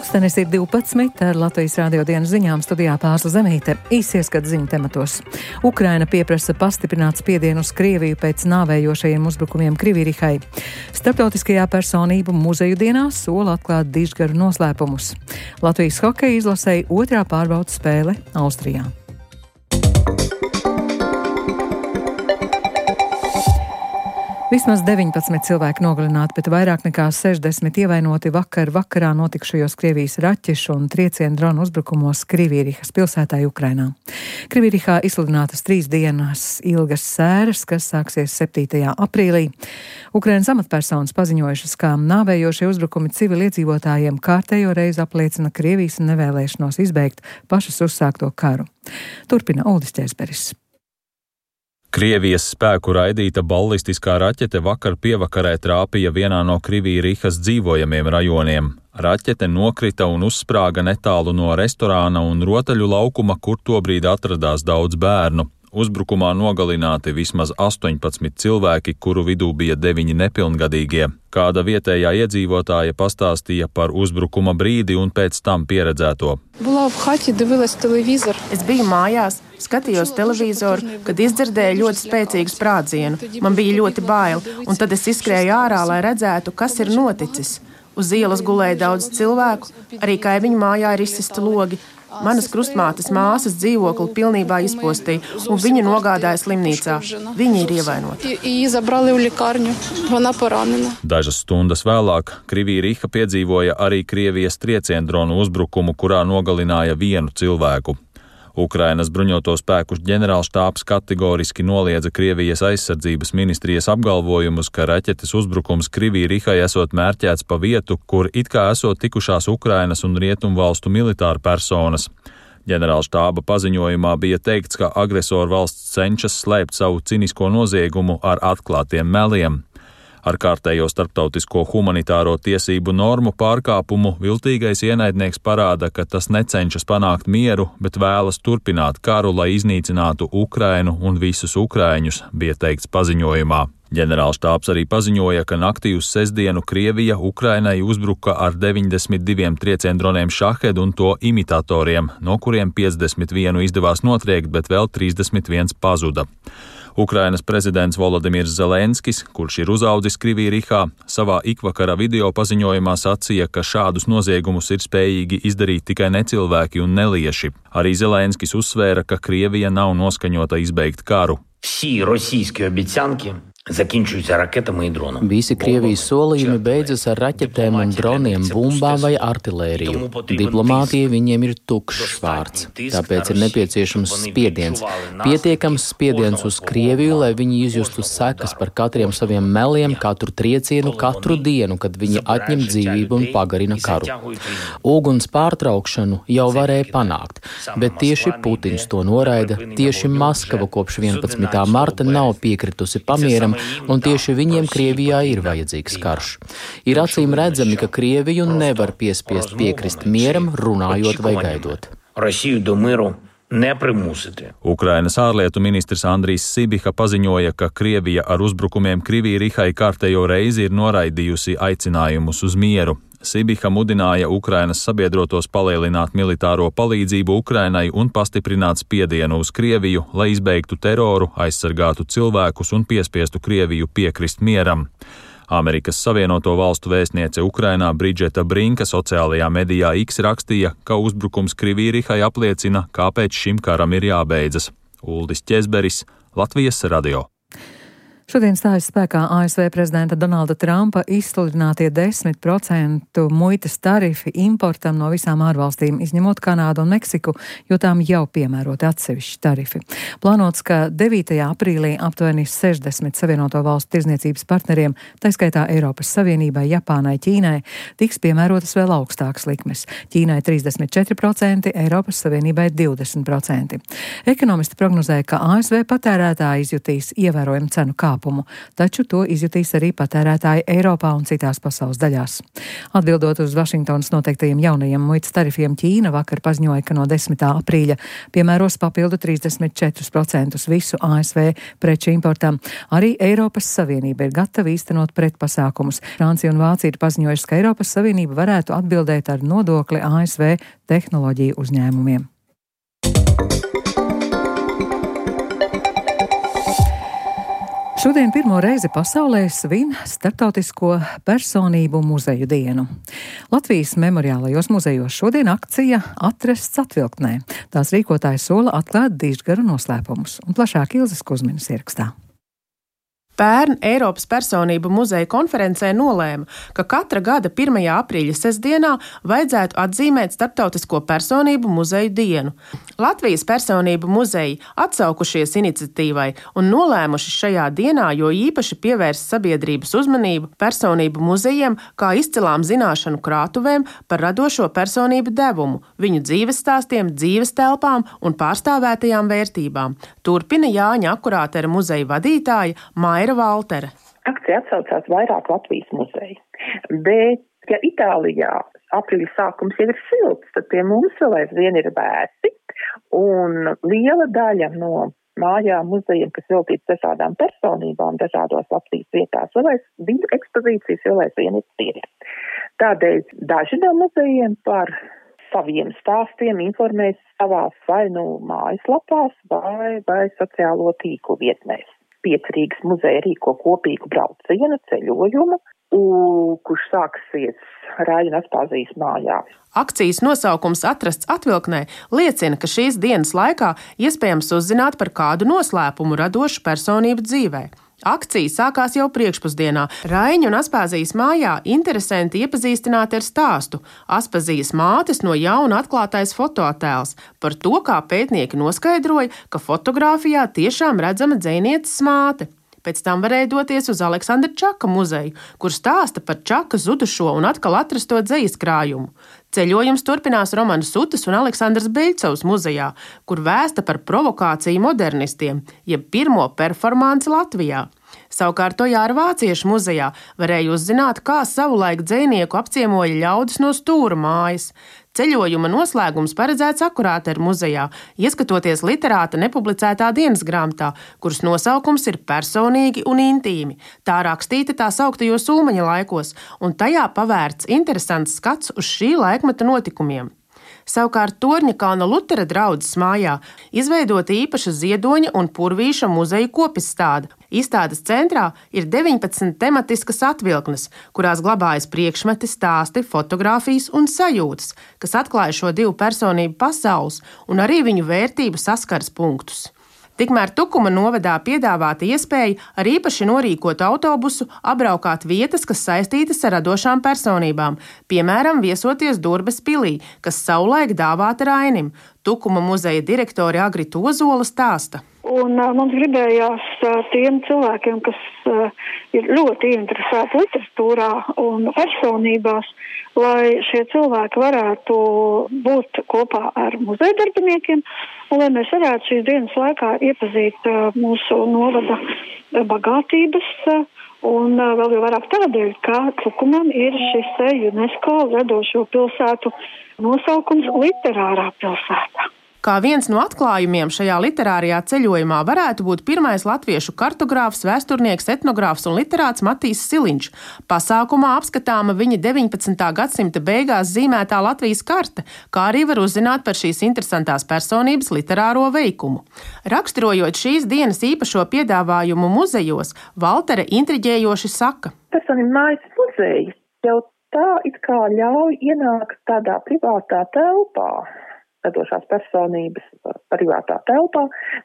Pulkstenis ir 12 ar Latvijas radio dienas ziņām studijā Pārsla Zemīte. Īsi ieskats ziņu tematos. Ukraina pieprasa pastiprināt spiedienu uz Krieviju pēc nāvējošajiem uzbrukumiem Krivirihai. Starptautiskajā personību muzeju dienā sola atklāt dižgaru noslēpumus. Latvijas hokeja izlasēja otrā pārbaudas spēle Austrijā. Vismaz 19 cilvēki nogalināti, bet vairāk nekā 60 ievainoti vakarā notikušajos Krievijas raķešu un triecienu dronu uzbrukumos Krivirihas pilsētā Ukrainā. Krivirihā izsludinātas 3 dienas ilgas sēras, kas sāksies 7. aprīlī. Ukrainas amatpersonas paziņojušas, ka nāvējošie uzbrukumi civiliedzīvotājiem kārtējo reizi apliecina Krievijas nevēlēšanos izbeigt pašas uzsākto karu. Turpina Uldis Ķēzberis. Krievijas spēku raidīta ballistiskā raķete vakar pievakarē trāpīja vienā no Krivirihas dzīvojamiem rajoniem. Raķete nokrita un uzsprāga netālu no restorāna un rotaļu laukuma, kur tobrīd atradās daudz bērnu. Uzbrukumā nogalināti vismaz 18 cilvēki, kuru vidū bija 9 nepilngadīgie. Kāda vietējā iedzīvotāja pastāstīja par uzbrukuma brīdi un pēc tam pieredzēto. Es biju mājās, skatījos televizoru, kad izdzirdēju ļoti spēcīgu sprādzienu. Man bija ļoti bail, un tad es izskrēju ārā, lai redzētu, kas ir noticis. Uz ielas gulēja daudz cilvēku, arī kaimiņu mājā ir izsisti logi. Manas krustmātes māsas dzīvokli pilnībā izpostīja, un viņa nogādāja slimnīcā. Viņa ir ievainota. Dažas stundas vēlāk Kriviriha piedzīvoja arī Krievijas trieciendronu uzbrukumu, kurā nogalināja vienu cilvēku. Ukrainas bruņoto spēku ģenerālštābs kategoriski noliedza Krievijas aizsardzības ministrijas apgalvojumus, ka raķetes uzbrukums Krivirihai esot mērķēts pa vietu, kur it kā esot tikušās Ukrainas un rietumvalstu militāra personas. Ģenerālštāba paziņojumā bija teikts, ka agresoru valsts cenšas slēpt savu cinisko noziegumu ar atklātiem meliem. Ar kārtējo starptautisko humanitāro tiesību normu pārkāpumu viltīgais ienaidnieks parāda, ka tas necenšas panākt mieru, bet vēlas turpināt karu, lai iznīcinātu Ukrainu un visus ukraiņus, bija teikts paziņojumā. Ģenerālštābs arī paziņoja, ka naktī uz sestdienu Krievija Ukrainai uzbruka ar 92 trieciendroniem Šahed un to imitatoriem, no kuriem 51 izdevās notriekt, bet vēl 31 pazuda. Ukrainas prezidents Volodimirs Zelenskis, kurš ir uzaudzis Krivirihā, savā ikvakara video paziņojumā sacīja, ka šādus noziegumus ir spējīgi izdarīt tikai necilvēki un nelieši. Arī Zelenskis uzsvēra, ka Krievija nav noskaņota izbeigt karu. Visi Krievijas solījumi beidzas ar raķetēm un droniem, bumbām vai artilēriju. Diplomātija viņiem ir tukšs vārds, tāpēc ir nepieciešams spiediens. Pietiekams spiediens uz Krieviju, lai viņi izjustu sekas par katriem saviem meliem, katru triecienu, katru dienu, kad viņi atņem dzīvību un pagarina karu. Uguns pārtraukšanu jau varēja panākt, bet tieši Putins to noraida, tieši Maskava kopš 11. marta nav piekritusi pamieram, un tieši viņiem Krievijā ir vajadzīgs karš. Ir acīm redzami, ka Krieviju nevar piespiest piekrist mieram, runājot vai gaidot. Ukrainas ārlietu ministrs Andrijs Sibiha paziņoja, ka Krievija ar uzbrukumiem Krivirihai kārtējo reizi ir noraidījusi aicinājumus uz mieru. Sibiha mudināja Ukrainas sabiedrotos palielināt militāro palīdzību Ukrainai un pastiprināt spiedienu uz Krieviju, lai izbeigtu teroru, aizsargātu cilvēkus un piespiestu Krieviju piekrist mieram. Amerikas Savienoto Valstu vēstniece Ukrainā Bridžeta Brinka sociālajā medijā X rakstīja, ka uzbrukums Krivirihai apliecina, kāpēc šim karam ir jābeidzas. Uldis Ķēzberis, Latvijas radio. Šodien stājas spēkā ASV prezidenta Donalda Trumpa izsludinātie 10% muitas tarifi importam no visām ārvalstīm, izņemot Kanādu un Meksiku, jo tām jau piemēroti atsevišķi tarifi. Plānots, ka 9. aprīlī aptuveni 60 Savienoto Valstu tirdzniecības partneriem, tā skaitā Eiropas Savienībai, Japānai, Ķīnai, tiks piemērotas vēl augstākas likmes. Ķīnai 34%, Eiropas Savienībai 20%. Ekonomisti prognozē, ka ASV patērētāji izjutīs ievērojumu cenu kāpumu. kāpumu, taču to izjutīs arī patērētāji Eiropā un citās pasaules daļās. Atbildot uz Vašingtonas noteiktajiem jaunajiem muitas tarifiem, Ķīna vakar paziņoja, ka no 10. aprīļa piemēros papildu 34% visu ASV preču importam. Arī Eiropas Savienība ir gatava īstenot pretpasākumus. Francija un Vācija ir paziņojuši, ka Eiropas Savienība varētu atbildēt ar nodokli ASV tehnoloģiju uzņēmumiem. Šodien pirmo reizi pasaulē svin Starptautisko personību muzeju dienu. Latvijas memoriālajos muzejos šodien akcija Atrasts atvilktnē. Tās rīkotāji sola atklāt dižgaru noslēpumus, un plašāk Ilzes Kuzminas ierakstā. Pērn Eiropas personību muzeja konferencē nolēma, ka katra gada 1. aprīļa sestdienā vajadzētu atzīmēt Starptautisko personību muzeju dienu. Latvijas personību muzeji atsaukušies iniciatīvai un nolēmuši šajā dienā jo īpaši pievērst sabiedrības uzmanību personību muzejiem kā izcilām zināšanu krātuvēm par radošo personību devumu, viņu dzīves stāstiem, dzīves telpām un pārstāvētajām vērtībām. Turpina Jāņa Akurātera muzeja vadītāja Maira Valtere. Akcija atsaucās vairāk Latvijas muzeju, bet, ja Itālijā aprīļa sākums jau ir silts, tad pie mums vēl aizvien ir vēsi, un liela daļa no mājām muzejiem, kas veltīts dažādām personībām, dažādos Latvijas vietās, viņu ekspozīcijas vēl aizvien ir tīri. Tādēļ daži no muzejiem par saviem stāstiem informēs savās vai mājaslapās vai sociālo tīklu vietnēs. 5 Rīgas muzeja rīko kopīgu braucienu ceļojumu, kurš sāksies Rāļa Aspāzijas mājā. Akcijas nosaukums Atrasts atvilktnē liecina, ka šīs dienas laikā iespējams uzzināt par kādu noslēpumu radošu personību dzīvē. Akcija sākās jau priekšpusdienā. Raiņa un Aspāzijas mājā interesanti iepazīstināti ar stāstu Aspāzijas mātes no jauna atklātais fotoattēls par to, kā pētnieki noskaidroja, ka fotogrāfijā tiešām redzama dzejnieces māte. Pēc tam varēja doties uz Aleksandra Čaka muzeju, kur stāsta par Čaka zudušo un atkal atrasto dzejas krājumu. Ceļojums turpinās Romanas Sutas un Aleksandras Beļcovas muzejā, kur vēsta par provokāciju modernistiem, jeb pirmo performanci Latvijā. Savukārt Tojāra Vāciešu muzejā varēja uzzināt, kā savulaik dzejnieku apciemoja ļaudis no Stūra mājas. Ceļojuma noslēgums paredzēts Akurātera muzejā, ieskatoties literāta nepublicētā dienas grāmatā, kuras nosaukums ir personīgi un intīmi. Tā rakstīta tā sauktajos Ulmaņa laikos, un tajā pavērts interesants skats uz šī laikmeta notikumiem. Savukārt Torņakalna Lutera draudzes mājā izveidota īpaša Ziedoņa un Purvīša muzeju kopistāde. Izstādes centrā ir 19 tematiskas atvilknes, kurās glabājas priekšmeti, stāsti, fotogrāfijas un sajūtas, kas atklāja šo divu personību pasaules un arī viņu vērtību saskares punktus. Tikmēr Tukuma novadā piedāvāta iespēja ar īpaši norīkotu autobusu apbraukāt vietas, kas saistītas ar radošām personībām, piemēram, viesoties Durbes pilī, kas savulaik dāvāta Rainim. Tukuma muzeja direktore Agrita Ozola stāsta. Un mums gribējās tiem cilvēkiem, kas ir ļoti ieinteresēti literatūrā un personībās, lai šie cilvēki varētu būt kopā ar muzeja darbiniekiem un lai mēs varētu šīs dienas laikā iepazīt mūsu novada bagātības un vēl jau vairāk tādēļ, ka Tukumam ir šis UNESCO radošo pilsētu nosaukums literārā pilsēta. Kā viens no atklājumiem šajā literārajā ceļojumā varētu būt pirmais latviešu kartogrāfs, vēsturnieks, etnogrāfs un literāts Matīs Siliņš. Pasākumā apskatāma viņa 19. gadsimta beigās zīmētā Latvijas karte, kā arī var uzzināt par šīs interesantās personības literāro veikumu. Raksturojot šīs dienas īpašo piedāvājumu muzejos, Valtere intriģējoši saka. Personību mājas muzeja jau tā it kā ļauj ienākt tādā privātā telpā. Radošās personības privātā telpā,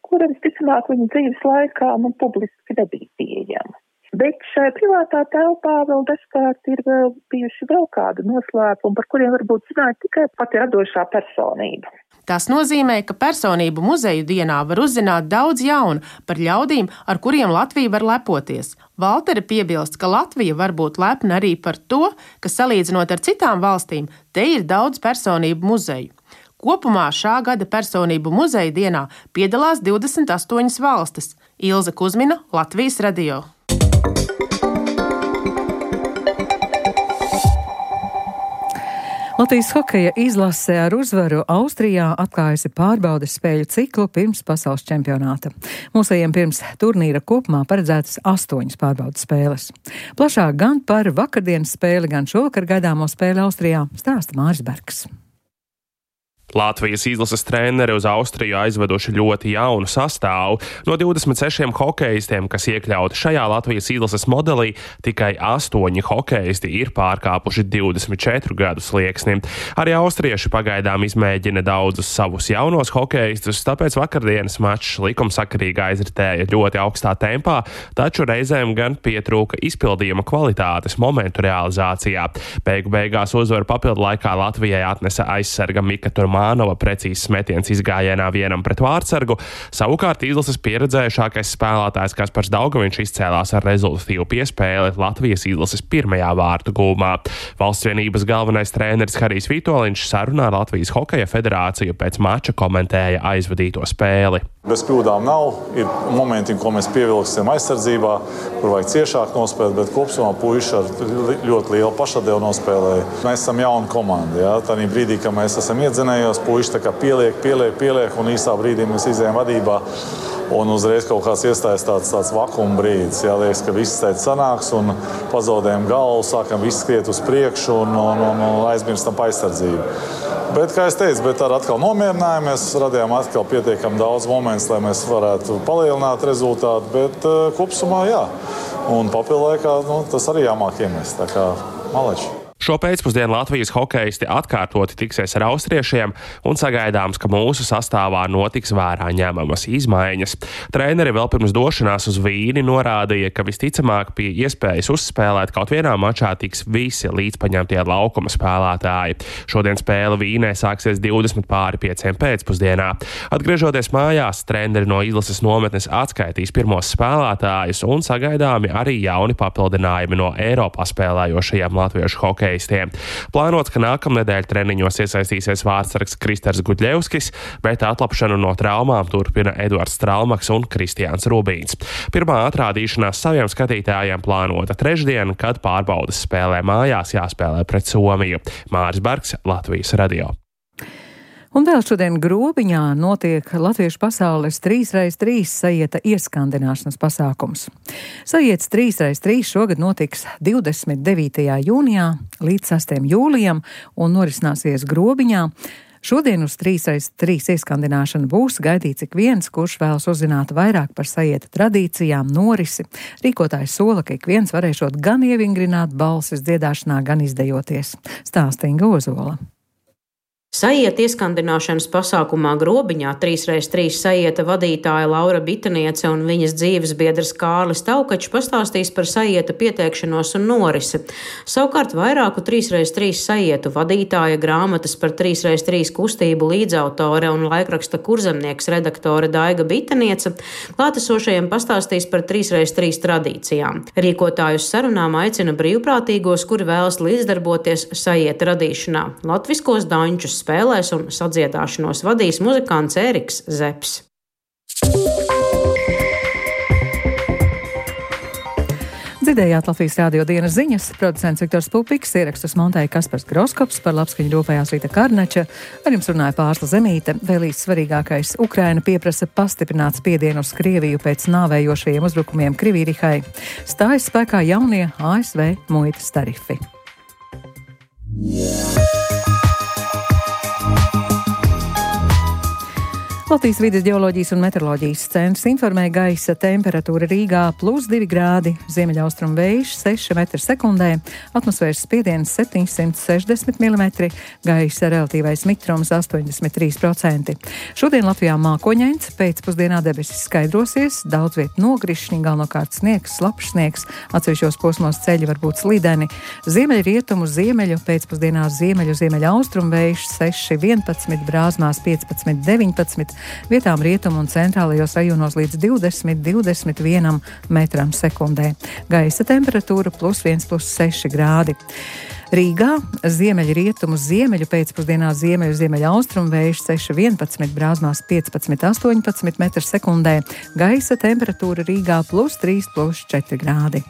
kura visticamāk viņa dzīves laikā publiski nebija pieejama. Bet šai privātā telpā vēl dažkārt ir bijuši vēl kādu noslēpumu, par kuriem varbūt zināja tikai pati radošā personība. Tas nozīmē, ka personību muzeju dienā var uzzināt daudz jaunu par ļaudīm, ar kuriem Latvija var lepoties. Valtere piebilst, ka Latvija var būt lepna arī par to, ka salīdzinot ar citām valstīm, te ir daudz personību muzeju. Kopumā šā gada personību muzeja dienā piedalās 28 valstis. Ilze Kuzmina, Latvijas radio. Latvijas hokeja izlase ar uzvaru Austrijā atklājusi pārbaudes spēļu ciklu pirms pasaules čempionāta. Mūsējiem pirms turnīra kopumā paredzētas 8 pārbaudes spēles. Plašāk gan par vakardienas spēli, gan šovakar gaidāmo spēli Austrijā stāsta Māris Bergs. Latvijas izlases treneri uz Austriju aizveduši ļoti jaunu sastāvu. No 26 hokeistiem, kas iekļauti šajā Latvijas izlases modelī, tikai 8 hokeisti ir pārkāpuši 24 gadu slieksni. Arī austrieši pagaidām izmēģina daudzus savus jaunos hokeistus, tāpēc vakardienas mačs likumsakarīgi aizritēja ļoti augstā tempā, taču reizēm gan pietrūka izpildījuma kvalitātes momentu realizācijā. Beigu beigās uzvaru papildu laikā Latvijai atnesa aizsarga Mika Turmānova precīzs metiens izgājienā 1-vārdsargu. Savukārt izlases pieredzējušākais spēlētājs Kaspars Daugaviņš izcēlās ar rezultatīvu piespēli Latvijas izlases 1. vārtu gūmā. Valsts vienības galvenais treneris Harijs Vitoļņš sarunā ar Latvijas hokeja federāciju pēc mača komentēja aizvadīto spēli. Bez kļūdām nav. Ir momenti, ko mēs pievilksim aizsardzībā, kur vajag ciešāk nospēlēt, bet kopumā puiši ar ļoti lielu pašatdevu nospēlēja. Mēs esam jauna komanda. Ja? Tādā brīdī, kad mēs esam iedzinējos, puiši tā kā pieliek, un īsā brīdī mēs izējām vadībā. Un uzreiz kaut kāds iestājas tāds vakuma brīdis. Jā, liekas, ka viss teica sanāks un pazaudējam galvu, sākam visu skriet uz priekšu un aizmirstam aizsardzību. Bet, kā es teicu, ar atkal nomierinājumies, radījām atkal pietiekami daudz momentus, lai mēs varētu palielināt rezultātu, bet kopumā jā. Un papildu laikā tas arī jāmāk iemest, tā kā maleči. Šo pēcpusdienu Latvijas hokeisti atkārtoti tiksies ar austriešiem un sagaidāms, ka mūsu sastāvā notiks vērā ņemamas izmaiņas. Treneri vēl pirms došanās uz Vīni norādīja, ka visticamāk pie iespējas uzspēlēt kaut vienā mačā tiks visi līdzpaņemtie laukuma spēlētāji. Šodien spēle Vīnē sāksies 20:05 pēcpusdienā. Atgriežoties mājās, treneri no izlases nometnes atskaitīs pirmos spēlētājus un sagaidāmi arī jauni papildinājumi no Eiropā spēlējošajiem latviešu hokeistiem. Plānots, ka nākamnedēļ treniņos iesaistīsies vārdsargs Kristers Gudļevskis, bet atlapšanu no traumām turpina Eduards Stralmaks un Kristiāns Rubīns. Pirmā atrādīšanās saviem skatītājiem plānota trešdien, kad pārbaudes spēlē mājās jāspēlē pret Somiju. Māris Bergs, Latvijas radio. Un vēl šodien Grobiņā notiek Latviešu pasaules 3x3 sajieta ieskandināšanas pasākums. Sajietas 3x3 šogad notiks 29. jūnijā līdz 6. jūlijam un norisināsies Grobiņā. Šodien uz 3x3 ieskandināšanu būs gaidīts ik viens, kurš vēlas uzzināt vairāk par sajieta tradīcijām, norisi. Rīkotājs sola, ka ik viens varēšot gan ievingrināt balsis dziedāšanā, gan izdejoties. Stāsta Inga Ozola. Sajieta ieskandināšanas pasākumā Grobiņā 3x3 sajieta vadītāja Laura Bitaniece un viņas dzīves biedrs Kārlis Taukačs pastāstīs par sajieta pieteikšanos un norisi. Savukārt vairāku 3x3 sajietu vadītāja, grāmatas par 3x3 kustību līdzautore un laikraksta Kurzemnieks redaktore Daiga Bitaniece klātesošajiem pastāstīs par 3x3 tradīcijām. Rīkotājus sarunām aicina brīvprātīgos, kuri vēlas līdzdarboties sajieta radīšanā. Latviskos daņķus spēlēs un sadziedāšanos vadīs muzikants Ēriks Zepes. Dzirdējāt Latvijas radio dienas ziņas, producents Viktors Pupiks, ierakstus montēja Kaspars Groskops, par labskaņu rūpējās Rīta Karnača, ar jums runāja Pārsla Zemīte. Vēl īsts svarīgākais - Ukraina pieprasa pastiprināt spiedienu uz Krieviju pēc nāvējošajiem uzbrukumiem Krivīrihai. Stājas spēkā jaunie ASV muitas tarifi. Latvijas vides ģeoloģijas un meteoroloģijas centrs informē gaisa temperatūra Rīgā +2 grādi, ziemeļaustrumu vējš 6 m/sekundē, atmosfēras spiediens 760 mm, gaisa relatīvais mitrums 83%. Šodien Latvijā mākoņains, pēcpusdienā debesis skaidrosies, daudz vietu nogrišņi, galvenokārt sniegs, slapjš sniegs, atsevišķos posmos ceļi var būt slideni, ziemeļrietumu, ziemeļu, pēcpusdienā ziemeļaustrumu vējš 6-11, brāzmās 15-19, vietām rietumu un centrālajos rajonos līdz 20–21 metram sekundē. Gaisa temperatūra +1–+6 grādi. Rīgā ziemeļrietumu ziemeļu pēcpusdienā ziemeļaustrumu vējš 6–11, Brāzmās 15–18 metru sekundē, gaisa temperatūra Rīgā +3–+4 grādi.